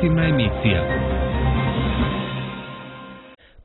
informativna emisija.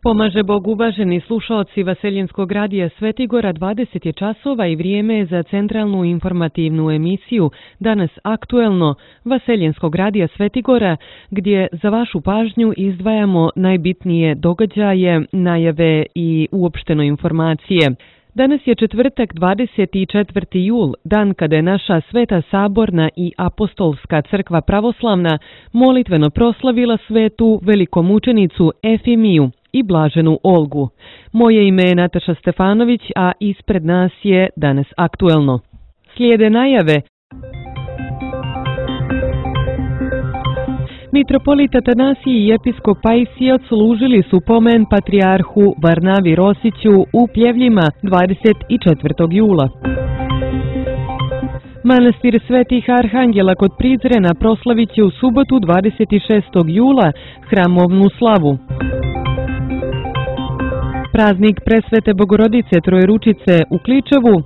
Pomaže Bog, uvaženi slušaoci Vaseljenskog radija Svetigora, 20 je časova i vrijeme je za centralnu informativnu emisiju Danas aktuelno Vaseljenskog radija Svetigora, gdje za vašu pažnju izdvajamo najbitnije događaje, najave i uopšteno informacije. Danas je četvrtak, 24. jul, dan kada je naša Sveta Saborna i Apostolska crkva pravoslavna molitveno proslavila svetu velikomučenicu Efimiju i blaženu Olgu. Moje ime je Nataša Stefanović, a ispred nas je Danas aktuelno. Slijede najave. Mitropolit Atanasije i episkop Pajsije odslužili su pomen patrijarhu Varnavi Rosiću u Pljevljima 24. jula. Manastir Svetih Arhangela kod Prizrena proslavit će u subotu 26. jula hramovnu slavu. Praznik Presvete Bogorodice Trojeručice u Kličevu.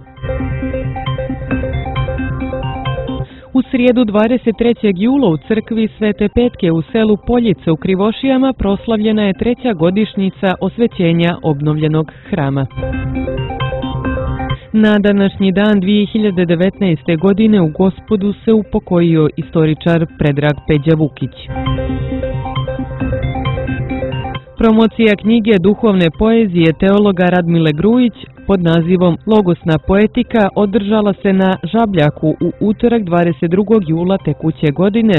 U srijedu 23. jula u crkvi Svete Petke u selu Poljice u Krivošijama proslavljena je 3. godišnjica osvećenja obnovljenog hrama. Na današnji dan 2019. godine u Gospodu se upokojio istoričar Predrag Peđa Vukić. Promocija knjige duhovne poezije teologa Radmile Grujić pod nazivom Logosna poetika održala se na Žabljaku u utorak 22. jula tekuće godine.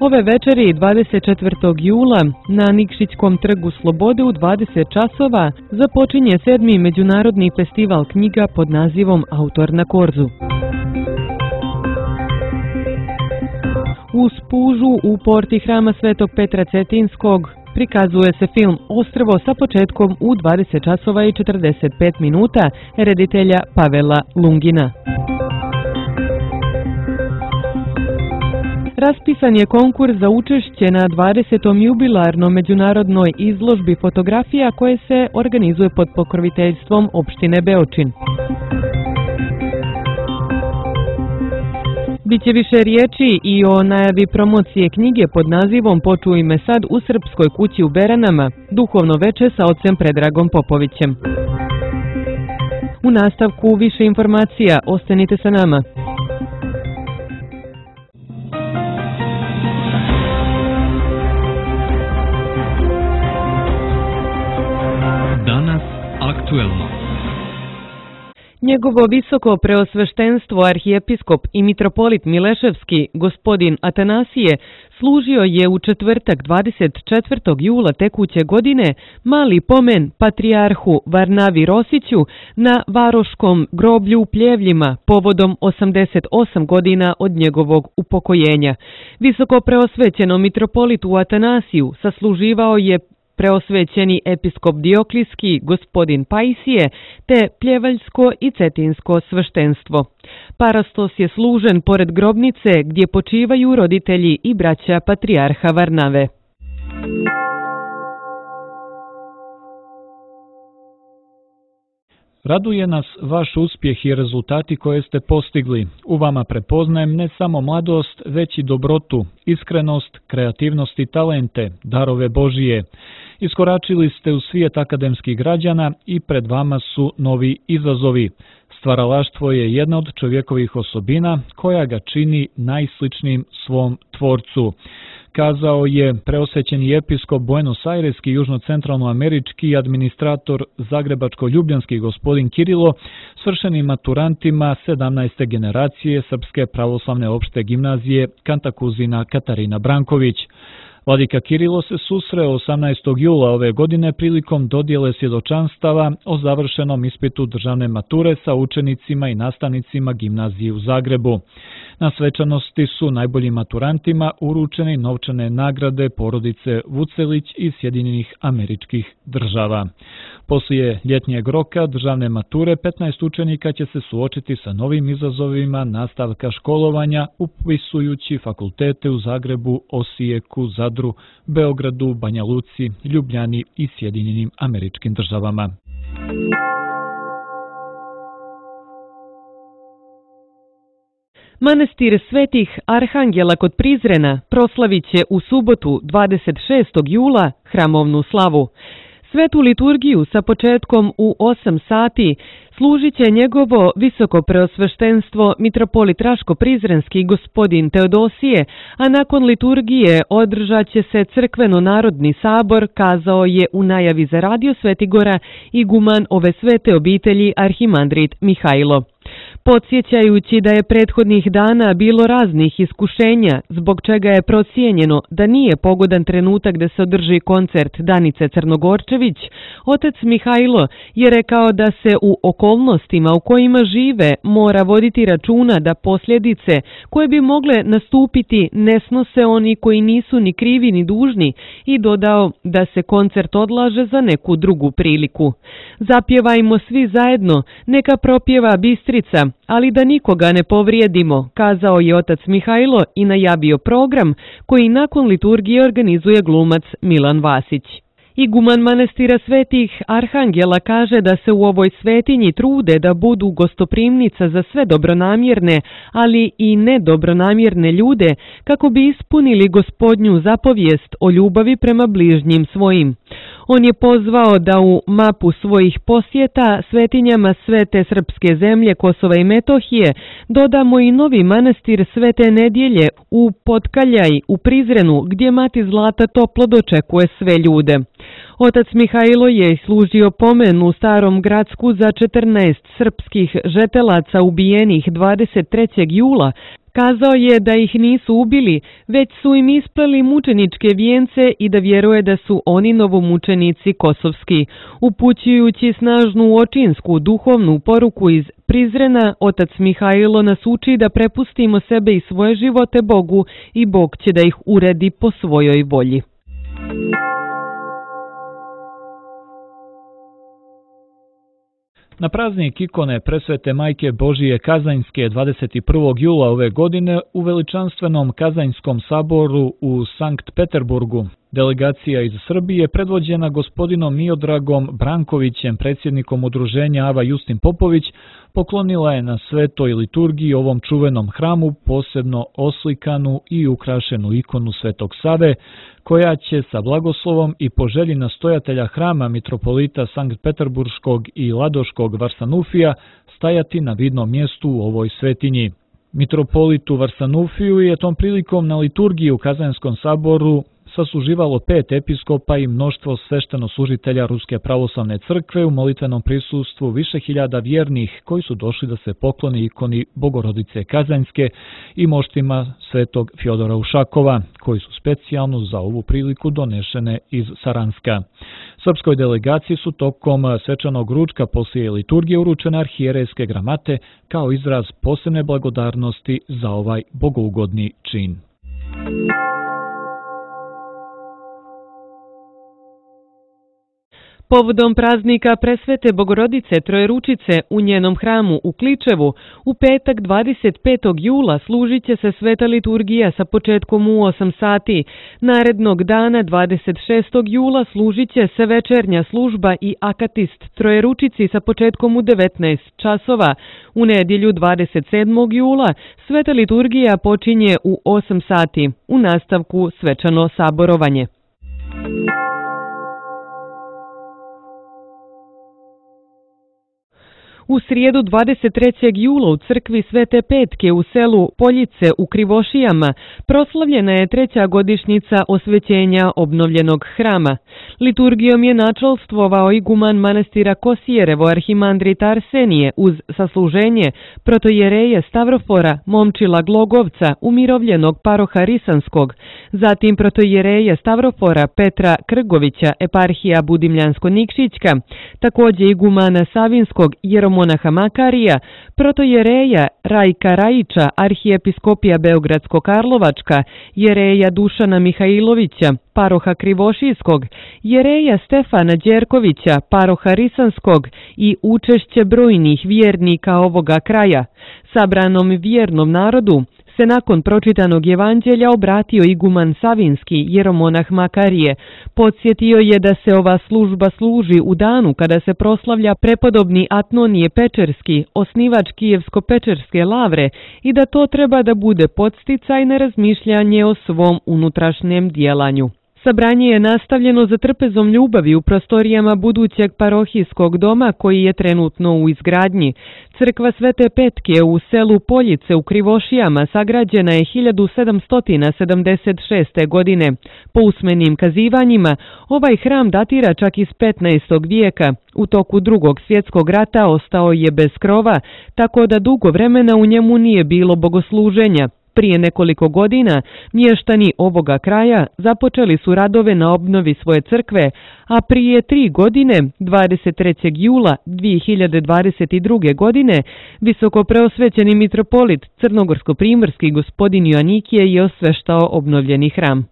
Ove večeri 24. jula na Nikšićkom trgu Slobode u 20 časova započinje 7. međunarodni festival knjiga pod nazivom Autor na korzu. U Spužu u porti hrama Svetog Petra Cetinskog prikazuje se film Ostrvo sa početkom u 20 časova i 45 minuta reditelja Pavela Lungina. Raspisan je konkurs za učešće na 20. jubilarnom međunarodnoj izložbi fotografija koje se organizuje pod pokroviteljstvom opštine Beočin. Biće više riječi i o najavi promocije knjige pod nazivom Počuj me sad u Srpskoj kući u Beranama, duhovno veče sa ocem Predragom Popovićem. U nastavku više informacija, ostanite sa nama. Danas aktuelno. Njegovo visoko preosveštenstvo arhijepiskop i mitropolit Mileševski, gospodin Atanasije, služio je u četvrtak 24. jula tekuće godine mali pomen patrijarhu Varnavi Rosiću na Varoškom groblju u Pljevljima povodom 88 godina od njegovog upokojenja. Visoko preosvećeno mitropolitu Atanasiju sasluživao je preosvećeni episkop Dioklijski, gospodin Pajsije, te pljevaljsko i cetinsko sveštenstvo. Parastos je služen pored grobnice gdje počivaju roditelji i braća patrijarha Varnave. Raduje nas vaš uspjeh i rezultati koje ste postigli. U vama prepoznajem ne samo mladost, već i dobrotu, iskrenost, kreativnost i talente, darove Božije. Iskoračili ste u svijet akademskih građana i pred vama su novi izazovi. Stvaralaštvo je jedna od čovjekovih osobina koja ga čini najsličnijim svom tvorcu, kazao je preosvećeni episkop Buenos Aireski južno-centralnoamerički administrator Zagrebačko-ljubljanski gospodin Kirilo svršenim maturantima 17. generacije Srpske pravoslavne opšte gimnazije Kantakuzina Katarina Branković. Vladika Kirilo se susreo 18. jula ove godine prilikom dodjele svjedočanstava o završenom ispitu državne mature sa učenicima i nastavnicima gimnazije u Zagrebu. Na svečanosti su najboljim maturantima uručene novčane nagrade porodice Vucelić iz Sjedinjenih Američkih Država. Poslije ljetnjeg roka državne mature 15 učenika će se suočiti sa novim izazovima nastavka školovanja upisujući fakultete u Zagrebu, Osijeku, Zadru, Beogradu, Banja Luci, Ljubljani i Sjedinjenim Američkim Državama. Manastir Svetih Arhangela kod Prizrena proslavit će u subotu 26. jula hramovnu slavu. Svetu liturgiju sa početkom u 8 sati služit će njegovo visoko preosveštenstvo mitropolit Raško-Prizrenski gospodin Teodosije, a nakon liturgije održat će se crkveno-narodni sabor, kazao je u najavi za Radio Svetigora iguman ove svete obitelji arhimandrit Mihajlo. Podsjećajući da je prethodnih dana bilo raznih iskušenja, zbog čega je procijenjeno da nije pogodan trenutak da se održi koncert Danice Crnogorčević, otac Mihajlo je rekao da se u okolnostima u kojima žive mora voditi računa da posljedice koje bi mogle nastupiti ne snose oni koji nisu ni krivi ni dužni i dodao da se koncert odlaže za neku drugu priliku. Zapjevajmo svi zajedno, neka propjeva Bistrica, ali da nikoga ne povrijedimo, kazao je otac Mihajlo i najavio program koji nakon liturgije organizuje glumac Milan Vasić. Iguman manastira Svetih Arhangela kaže da se u ovoj svetinji trude da budu gostoprimnica za sve dobronamjerne, ali i nedobronamjerne ljude kako bi ispunili Gospodnju zapovijest o ljubavi prema bližnjim svojim. On je pozvao da u mapu svojih posjeta svetinjama Svete srpske zemlje Kosova i Metohije dodamo i novi manastir Svete Nedjelje u Potkaljaj u Prizrenu gdje Mati Zlata toplo dočekuje sve ljude. Otac Mihajlo je služio pomen u Starom Gradsku za 14 srpskih žetelaca ubijenih 23. jula. Kazao je da ih nisu ubili, već su im ispleli mučeničke vijence i da vjeruje da su oni novomučenici kosovski. Upućujući snažnu očinsku duhovnu poruku iz Prizrena, otac Mihajlo nas uči da prepustimo sebe i svoje živote Bogu i Bog će da ih uredi po svojoj volji. Na praznik ikone Presvete Majke Božije Kazanjske 21. jula ove godine u veličanstvenom Kazanjskom saboru u Sankt Peterburgu delegacija iz Srbije predvođena gospodinom Miodragom Brankovićem, predsjednikom udruženja Ava Justin Popović, poklonila je na svetoj liturgiji ovom čuvenom hramu posebno oslikanu i ukrašenu ikonu Svetog Save, koja će sa blagoslovom i po želji nastojatelja hrama mitropolita Sankt Peterburškog i Ladoškog Varsanufija stajati na vidnom mjestu u ovoj svetinji. Mitropolitu Varsanufiju je tom prilikom na liturgiji u Kazanjskom saboru sasluživalo 5 episkopa i mnoštvo sveštenoslужitelja Ruske pravoslavne crkve u molitvenom prisustvu više hiljada vjernih koji su došli da se poklone ikoni Bogorodice Kazanjske i moštima svetog Fjodora Ušakova, koji su specijalno za ovu priliku donešene iz Saranska. Srpskoj delegaciji su tokom svečanog ručka poslije liturgije uručene arhijerejske gramate kao izraz posebne blagodarnosti za ovaj bogougodni čin. Povodom praznika Presvete Bogorodice Trojeručice u njenom hramu u Kličevu, u petak 25. jula služit će se sveta liturgija sa početkom u 8 sati. Narednog dana 26. jula služit će se večernja služba i akatist Trojeručici sa početkom u 19 časova. U nedjelju 27. jula sveta liturgija počinje u 8 sati. U nastavku svečano saborovanje. U srijedu 23. jula u crkvi Svete Petke u selu Poljice u Krivošijama proslavljena je 3. godišnjica osvećenja obnovljenog hrama. Liturgijom je načelstvovao iguman manastira Kosijerevo arhimandrit Arsenije uz sasluženje protojereje Stavrofora Momčila Glogovca umirovljenog paroha Risanskog, zatim protojereje Stavrofora Petra Krgovića eparhija Budimljansko-Nikšićka, također igumana Savinskog jeromonaha Makarija, protojereja Rajka Rajića arhijepiskopija Beogradsko-Karlovačka, jereja Dušana Mihajlovića paroha Krivošijskog, jereja Stefana Đerkovića paroha Risanskog i učešće brojnih vjernika ovoga kraja. Sabranom vjernom narodu se nakon pročitanog evanđelja obratio iguman Savinski, jeromonah Makarije. Podsjetio je da se ova služba služi u danu kada se proslavlja prepodobni Atnonije Pečerski, osnivač Kijevsko-Pečerske lavre, i da to treba da bude podsticaj na razmišljanje o svom unutrašnjem djelanju. Sabranje je nastavljeno za trpezom ljubavi u prostorijama budućeg parohijskog doma koji je trenutno u izgradnji. Crkva Svete Petke u selu Poljice u Krivošijama sagrađena je 1776. godine. Po usmenim kazivanjima, ovaj hram datira čak iz 15. vijeka. U toku Drugog svjetskog rata ostao je bez krova, tako da dugo vremena u njemu nije bilo bogosluženja. Prije nekoliko godina mještani ovoga kraja započeli su radove na obnovi svoje crkve, a prije 3 godine, 23. jula 2022. godine, visokopreosvećeni mitropolit crnogorsko-primorski gospodin Joanikije je osveštao obnovljeni hram.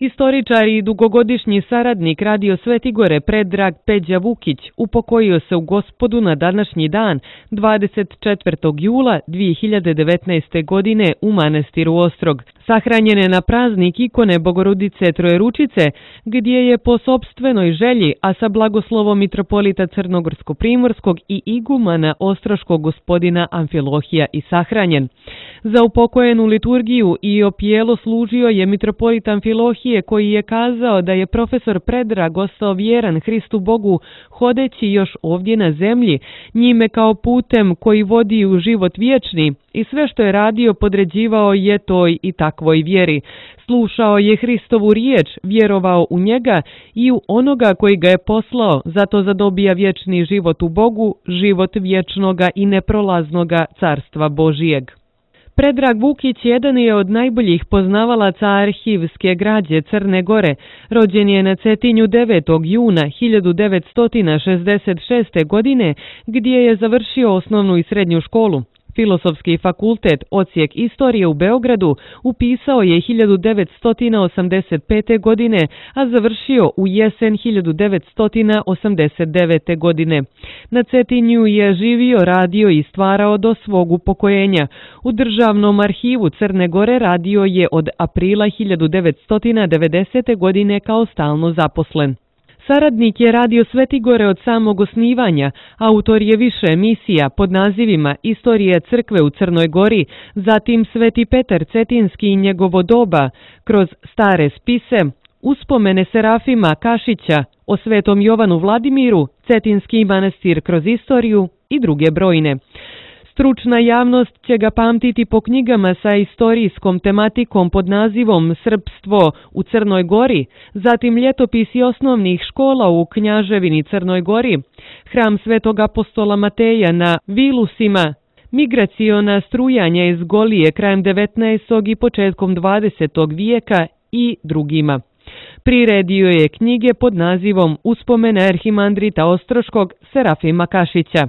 Istoričar i dugogodišnji saradnik Radio Svetigore Predrag Peđa Vukić upokojio se u Gospodu na današnji dan, 24. jula 2019. godine u manastiru Ostrog. Sahranjen je na praznik ikone Bogorodice Trojeručice, gdje je po sopstvenoj želji, a sa blagoslovom mitropolita Crnogorsko-primorskog i igumana Ostroškog gospodina Amfilohija i sahranjen. Za upokojenu liturgiju i opijelo služio je mitropolit Amfilohije, koji je kazao da je profesor Predrag ostao vjeran Hristu Bogu hodeći još ovdje na zemlji, njime kao putem koji vodi u život vječni, i sve što je radio podređivao je toj i takvoj vjeri. Slušao je Hristovu riječ, vjerovao u njega i u onoga koji ga je poslao, zato zadobija vječni život u Bogu, život vječnoga i neprolaznoga carstva Božijeg. Predrag Vukić jedan je od najboljih poznavalaca arhivske građe Crne Gore. Rođen je na Cetinju 9. juna 1966. godine, gdje je završio osnovnu i srednju školu. Filozofski fakultet, odsjek istorije u Beogradu, upisao je 1985. godine, a završio u jesen 1989. godine. Na Cetinju je živio, radio i stvarao do svog upokojenja. U Državnom arhivu Crne Gore radio je od aprila 1990. godine kao stalno zaposlen. Saradnik je Radio Svetigore od samog osnivanja, autor je više emisija pod nazivima Istorija crkve u Crnoj Gori, zatim Sveti Petar Cetinski i njegovo doba, kroz stare spise, uspomene Serafima Kašića, o Svetom Jovanu Vladimiru, Cetinski manastir kroz istoriju i druge brojne. Stručna javnost će ga pamtiti po knjigama sa istorijskom tematikom pod nazivom Srpstvo u Crnoj Gori, zatim ljetopisi osnovnih škola u Knjaževini Crnoj Gori, hram Svetog apostola Mateja na Vilusima, migraciona strujanja iz Golije krajem 19. i početkom 20. vijeka i drugima. Priredio je knjige pod nazivom Uspomene arhimandrita Ostroškog Serafima Kašića.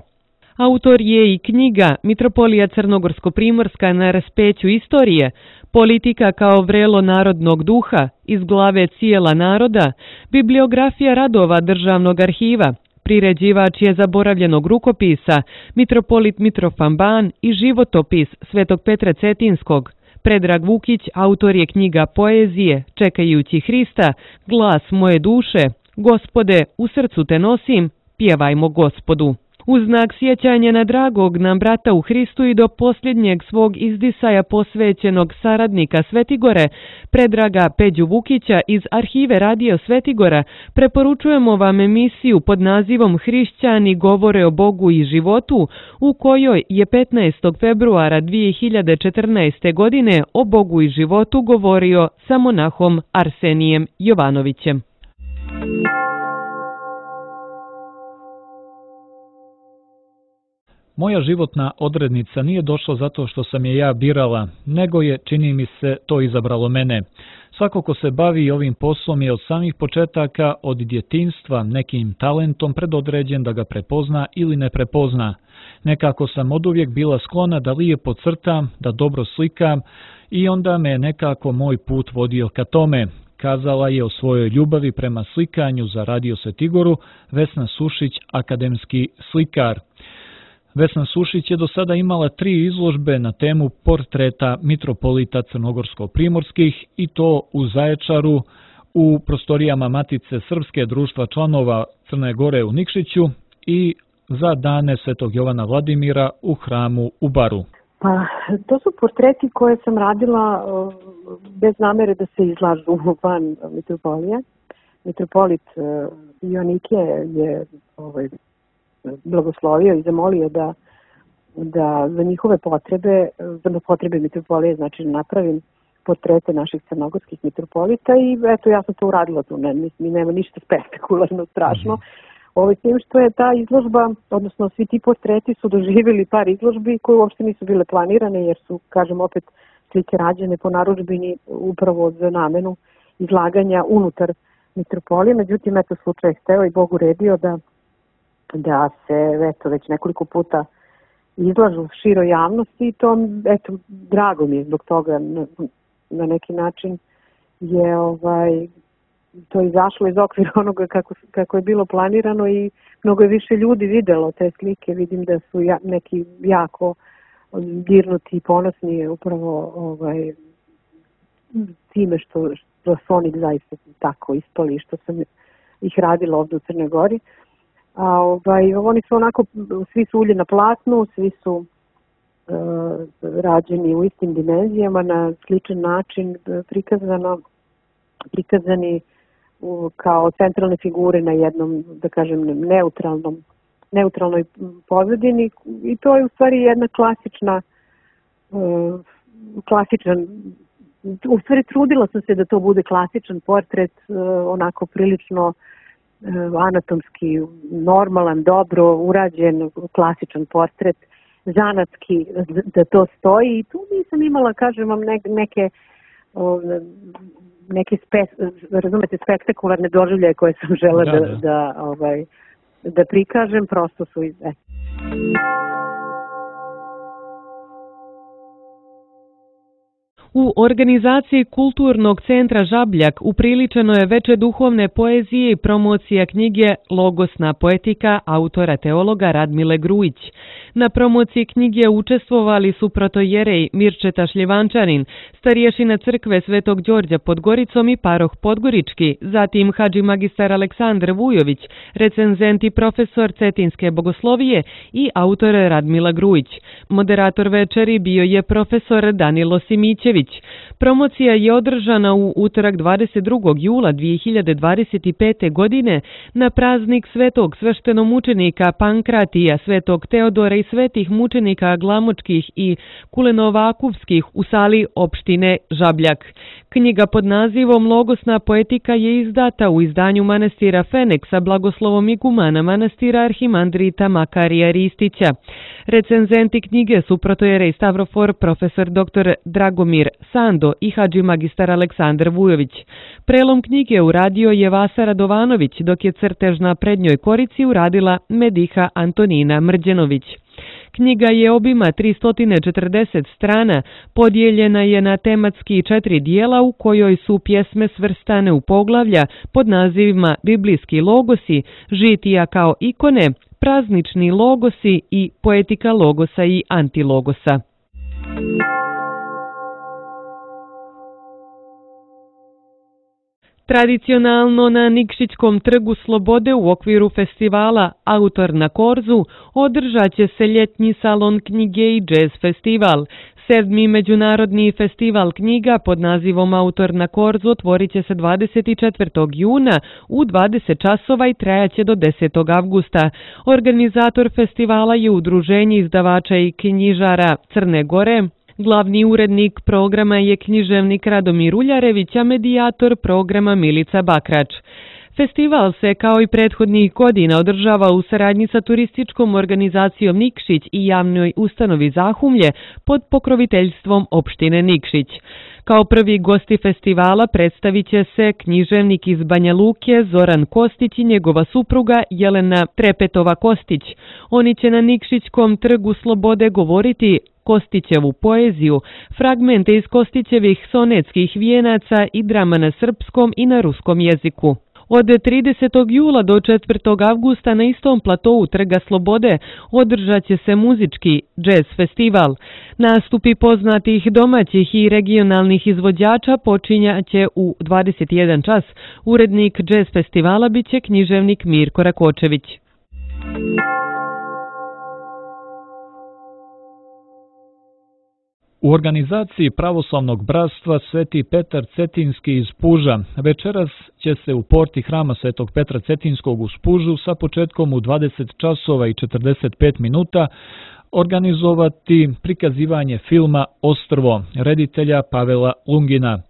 Autor je i knjiga Mitropolija Crnogorsko-primorska na raspeću istorije, Politika kao vrelo narodnog duha, iz glave Cijela naroda, bibliografija radova Državnog arhiva, priređivač je zaboravljenog rukopisa, mitropolit Mitrofan Ban i životopis Svetog Petra Cetinskog. Predrag Vukić autor je knjiga poezije Čekajući Hrista, Glas moje duše, Gospode, u srcu te nosim, pjevajmo Gospodu. U znak sjećanja na dragog nam brata u Hristu i do posljednjeg svog izdisaja posvećenog saradnika Svetigore, Predraga Peđu Vukića iz arhive Radio Svetigora, preporučujemo vam emisiju pod nazivom Hrišćani govore o Bogu i životu, u kojoj je 15. februara 2014. godine o Bogu i životu govorio sa monahom Arsenijem Jovanovićem. Moja životna odrednica nije došla zato što sam je ja birala, nego je, čini mi se, to izabralo mene. Svako ko se bavi ovim poslom je od samih početaka, od djetinjstva, nekim talentom predodređen da ga prepozna ili ne prepozna. Nekako sam oduvijek bila sklona da lijepo crtam, da dobro slikam i onda me nekako moj put vodio ka tome. kazala je o svojoj ljubavi prema slikanju za Radio Svetigoru Vesna Sušić, akademski slikar. Vesna Sušić je do sada imala 3 izložbe na temu portreta mitropolita crnogorsko-primorskih i to u Zaječaru, u prostorijama Matice Srpske društva članova Crne Gore u Nikšiću i za dane Svetog Jovana Vladimira u hramu u Baru. Pa, to su portreti koje sam radila bez namere da se izlažu van mitropolije. Mitropolit Joanikije je blagoslovio i zamolio da za njihove potrebe, za potrebe mitropolije, znači napravim portrete naših crnogorskih mitropolita i eto ja sam to uradila tu, nema ništa spektakularno, strašno. S tim što je ta izložba, odnosno svi ti portreti su doživjeli par izložbi koje uopšte nisu bile planirane jer su, kažem opet, slike rađene po narudžbini upravo za namenu izlaganja unutar mitropolije. Međutim, eto slučaj hteo i Bog uredio da se eto već nekoliko puta izlažu široj javnosti i to, eto, drago mi je zbog toga na neki način je to izašlo iz okvira onoga kako je bilo planirano i mnogo je više ljudi videlo te slike. Vidim da su neki jako dirnuti i ponosni upravo time što su oni zaista tako ispali što sam ih radila ovdje u Crnoj Gori. Oni su onako, svi su ulje na platnu, svi su rađeni u istim dimenzijama, na sličan način prikazani kao centralne figure na jednom, da kažem, neutralnoj pozadini i to je u stvari jedna u stvari trudila sam se da to bude klasičan portret, onako prilično anatomski normalan, dobro urađen, klasičan portret, zanatski da to stoji i tu nisam imala, kažem vam, neke razumete, spektakularne doživljaje koje sam žela da prikažem, prosto su U organizaciji Kulturnog centra Žabljak upriličeno je veče duhovne poezije i promocija knjige Logosna poetika autora teologa Radmile Grujić. Na promociji knjige učestvovali su protojerej Mirčeta Šljivančanin, starješina crkve Svetog Đorđa pod Goricom i paroh Podgorički, zatim hadži magistar Aleksandar Vujović, recenzent i profesor Cetinske bogoslovije i autor Radmila Grujić. Moderator večeri bio je profesor Danilo Simićević. Promocija je održana u utorak 22. jula 2025. godine na praznik svetog sveštenomučenika Pankratija, svetog Teodora i svetih mučenika Glamočkih i Kulenovakuvskih u sali opštine Žabljak. Knjiga pod nazivom Logosna poetika je izdata u izdanju manastira Feneksa blagoslovom igumana manastira arhimandrita Makarija Ristića. Recenzenti knjige su protojerej Stavrofor, profesor dr. Dragomir Sando i hadži magistar Aleksandar Vujović. Prelom knjige uradio je Vasa Radovanović, dok je crtež na prednjoj korici uradila Mediha Antonina Mrđenović. Knjiga je obima 340 strana, podijeljena je na tematski 4 dijela u kojoj su pjesme svrstane u poglavlja pod nazivima Biblijski logosi, žitija kao ikone, praznični logosi i poetika logosa i antilogosa. Tradicionalno na Nikšićkom trgu Slobode u okviru festivala Autor na korzu održat će se ljetni salon knjige i džez festival. 7. međunarodni festival knjiga pod nazivom Autor na korzu otvorit će se 24. juna u 20 časova i trajaće do 10. avgusta. Organizator festivala je Udruženje izdavača i knjižara Crne Gore. Glavni urednik programa je književnik Radomir Uljarević, a medijator programa Milica Bakrač. Festival se, kao i prethodnih godina, održava u saradnji sa turističkom organizacijom Nikšić i javnoj ustanovi Zahumlje pod pokroviteljstvom opštine Nikšić. Kao prvi gosti festivala predstavit će se književnik iz Banja Luke Zoran Kostić i njegova supruga Jelena Trepetova Kostić. Oni će na Nikšićkom trgu Slobode govoriti Kostićevu poeziju, fragmente iz Kostićevih sonetskih vijenaca i drama na srpskom i na ruskom jeziku. Od 30. jula do 4. avgusta na istom platovu Trga Slobode održat će se muzički džez festival. Nastupi poznatih domaćih i regionalnih izvođača počinjaće u 21 čas. Urednik džez festivala biće književnik Mirko Rakočević. U organizaciji Pravoslavnog bratstva Sveti Petar Cetinski iz Puža večeras će se u porti hrama Svetog Petra Cetinskog u Pužu sa početkom u 20 časova i 45 minuta organizovati prikazivanje filma Ostrvo reditelja Pavela Lungina.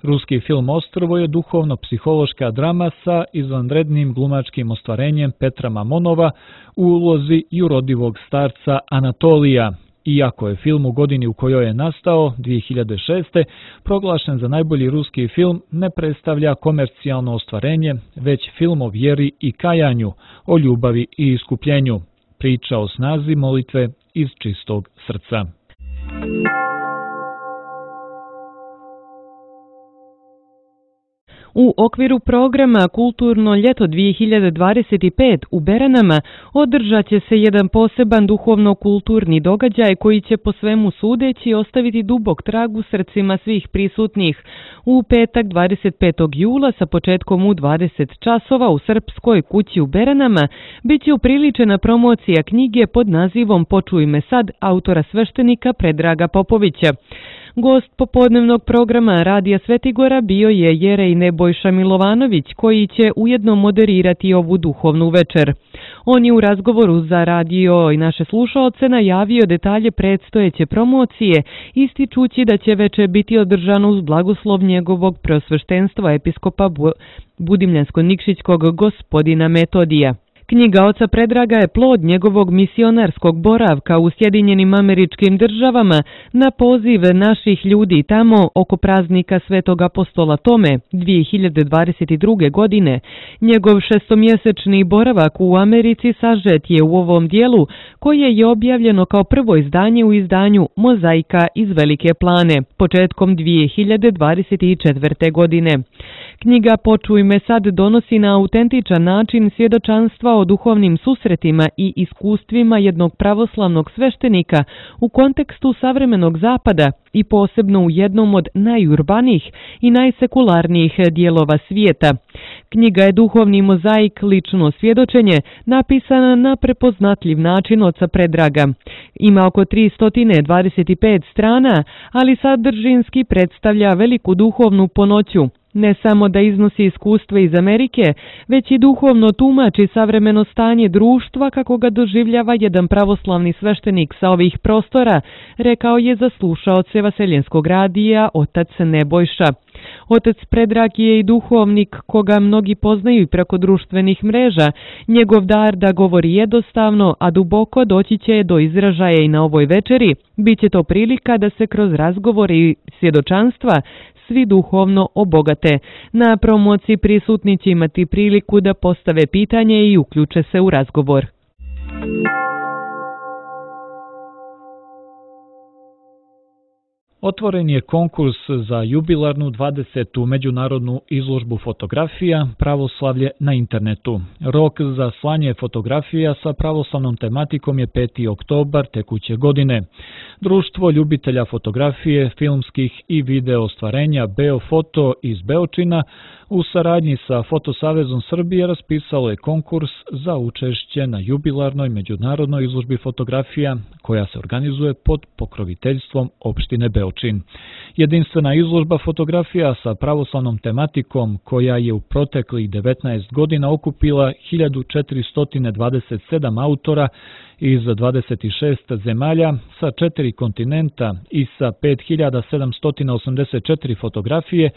Ruski film Ostrvo je duhovno-psihološka drama sa izvanrednim glumačkim ostvarenjem Petra Mamonova u ulozi jurodivog starca Anatolija. Iako je film u godini u kojoj je nastao, 2006. proglašen za najbolji ruski film, ne predstavlja komercijalno ostvarenje, već film o vjeri i kajanju, o ljubavi i iskupljenju. Priča o snazi molitve iz čistog srca. U okviru programa Kulturno ljeto 2025 u Beranama održat će se jedan poseban duhovno-kulturni događaj koji će po svemu sudeći ostaviti dubok trag u srcima svih prisutnih. U petak 25. jula sa početkom u 20 časova u Srpskoj kući u Beranama bit će upriličena promocija knjige pod nazivom Počuj me sad autora sveštenika Predraga Popovića. Gost popodnevnog programa Radija Svetigora bio je Jerej Nebojša Milovanović, koji će ujedno moderirati ovu duhovnu večer. On je u razgovoru za radio i naše slušaoce najavio detalje predstojeće promocije, ističući da će večer biti održano uz blagoslov njegovog preosveštenstva episkopa Budimljansko-Nikšićkog gospodina Metodija. Knjiga oca Predraga je plod njegovog misionarskog boravka u Sjedinjenim Američkim Državama na poziv naših ljudi tamo oko praznika Svetog apostola Tome 2022. godine. Njegov šestomjesečni boravak u Americi sažet je u ovom dijelu koje je objavljeno kao prvo izdanje u izdanju Mozaika iz Velike Plane početkom 2024. godine. Knjiga Počuj me sad donosi na autentičan način svjedočanstva o duhovnim susretima i iskustvima jednog pravoslavnog sveštenika u kontekstu savremenog zapada i posebno u jednom od najurbanijih i najsekularnijih dijelova svijeta. Knjiga je duhovni mozaik, lično svjedočenje, napisana na prepoznatljiv način oca Predraga. Ima oko 325 strana, ali sadržinski predstavlja veliku duhovnu ponoću. Ne samo da iznosi iskustva iz Amerike, već i duhovno tumači savremeno stanje društva kako ga doživljava jedan pravoslavni sveštenik sa ovih prostora, rekao je za slušaoce Vaseljenskog radija otac Nebojša. Otac Predrag je i duhovnik koga mnogi poznaju i preko društvenih mreža. Njegov dar da govori jednostavno, a duboko doći će do izražaja i na ovoj večeri. Biće to prilika da se kroz razgovor i svjedočanstva svi duhovno obogate. Na promociji prisutni će imati priliku da postave pitanje i uključe se u razgovor. Otvoren je konkurs za jubilarnu 20. međunarodnu izložbu fotografija Pravoslavlje na internetu. Rok za slanje fotografija sa pravoslavnom tematikom je 5. oktobar tekuće godine. Društvo ljubitelja fotografije, filmskih i video ostvarenja Beofoto iz Beočina u saradnji sa Fotosavezom Srbije raspisalo je konkurs za učešće na jubilarnoj međunarodnoj izložbi fotografija koja se organizuje pod pokroviteljstvom opštine Beočin. Jedinstvena izložba fotografija sa pravoslavnom tematikom koja je u proteklih 19 godina okupila 1427 autora iz 26 zemalja sa 4 kontinenta i sa 5784 fotografije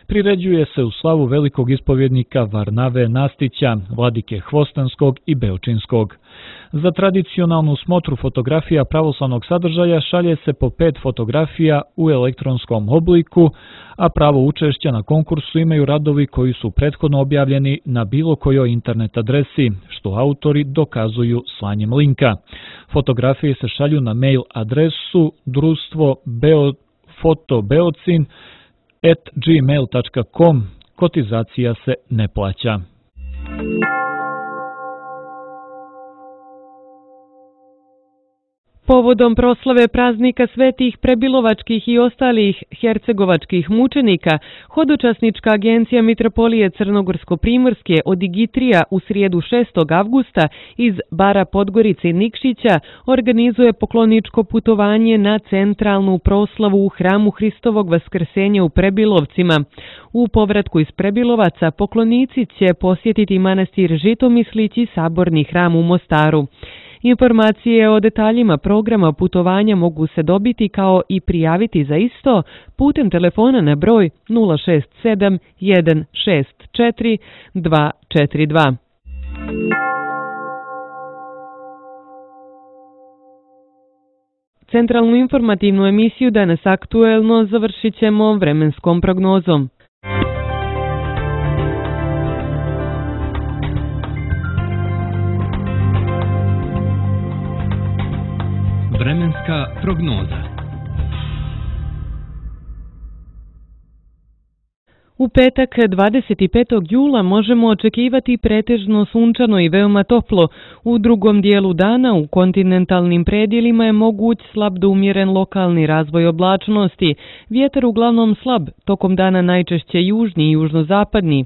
priređuje se u slavu velikog ispovjednika Varnave Nastića, vladike Hvostanskog i Beočinskog. Za tradicionalnu smotru fotografija pravoslavnog sadržaja šalje se po 5 fotografija u elektronskom elektronskom obliku, a pravo učešća na konkursu imaju radovi koji su prethodno objavljeni na bilo kojoj internet adresi, što autori dokazuju slanjem linka. Fotografije se šalju na mail adresu društvofotobeocin@gmail.com. Kotizacija se ne plaća. Povodom proslave praznika svetih prebilovačkih i ostalih hercegovačkih mučenika, Hodočasnička agencija Mitropolije Crnogorsko-Primorske od Digitrija u srijedu 6. avgusta iz bara Podgorice i Nikšića organizuje pokloničko putovanje na centralnu proslavu u hramu Hristovog vaskrsenja u Prebilovcima. U povratku iz Prebilovaca poklonici će posjetiti manastir Žitomislić i saborni hram u Mostaru. Informacije o detaljima programa putovanja mogu se dobiti kao i prijaviti za isto putem telefona na broj 067 164 242. Centralnu informativnu emisiju Danas aktuelno završit ćemo vremenskom prognozom. Vremenska prognoza. U petak 25. jula možemo očekivati pretežno sunčano i veoma toplo. U drugom dijelu dana u kontinentalnim predjelima je moguć slab do umjeren lokalni razvoj oblačnosti. Vjetar uglavnom slab, tokom dana najčešće južni i južnozapadni.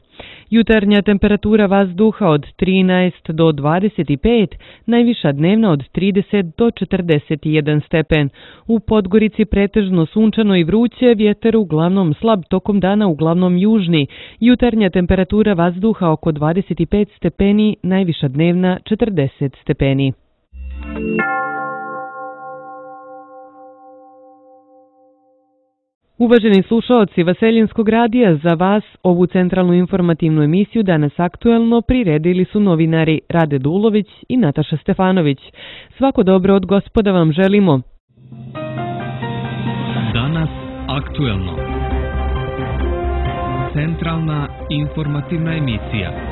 Jutarnja temperatura vazduha od 13 do 25, najviša dnevna od 30 do 41 stepen. U Podgorici pretežno sunčano i vruće, vjetar uglavnom slab, tokom dana uglavnom južni. Jutarnja temperatura vazduha oko 25 stepeni, najviša dnevna 40 stepeni. Uvaženi slušaoci Vaseljenskog radija, za vas ovu centralnu informativnu emisiju Danas aktuelno priredili su novinari Rade Dulović i Nataša Stefanović. Svako dobro od Gospoda vam želimo. Danas aktuelno. Centralna informativna emisija.